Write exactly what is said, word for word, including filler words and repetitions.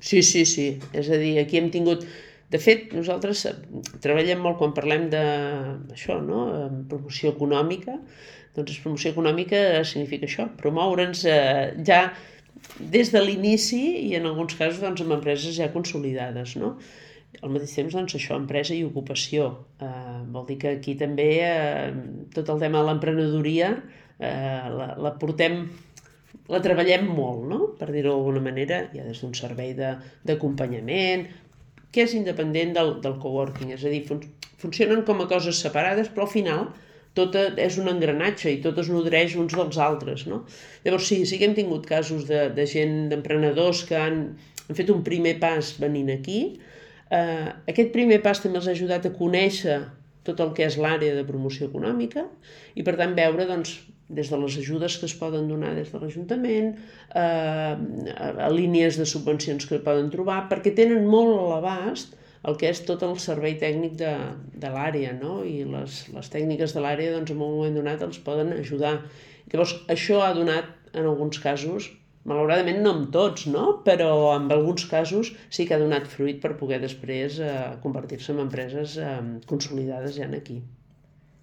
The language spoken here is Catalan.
Sí, sí, sí. És a dir, aquí hem tingut... De fet, nosaltres treballem molt quan parlem de això, no? Promoció econòmica. Doncs promoció econòmica significa això, promoure'ns eh, ja des de l'inici i en alguns casos doncs, amb empreses ja consolidades, no? Al mateix temps, doncs, això, empresa i ocupació. Eh, vol dir que aquí també eh, tot el tema de l'emprenedoria eh, la, la portem la treballem molt, no? Per dir-ho d'alguna manera, hi ha des d'un servei d'acompanyament, que és independent del, del coworking, és a dir, fun funcionen com a coses separades, però al final tot és un engranatge i tot es nodreix uns dels altres, no? Llavors sí, sí que hem tingut casos de, de gent, d'emprenedors que han, han fet un primer pas venint aquí. Eh, aquest primer pas també els ha ajudat a conèixer tot el que és l'àrea de promoció econòmica i per tant veure doncs, des de les ajudes que es poden donar des de l'Ajuntament, eh, a, a línies de subvencions que poden trobar, perquè tenen molt a l'abast el que és tot el servei tècnic de, de l'àrea, no? I les, les tècniques de l'àrea doncs, en un moment donat els poden ajudar. Llavors, això ha donat, en alguns casos, malauradament no en tots, no? Però en alguns casos sí que ha donat fruit per poder després eh, convertir-se en empreses eh, consolidades ja en aquí.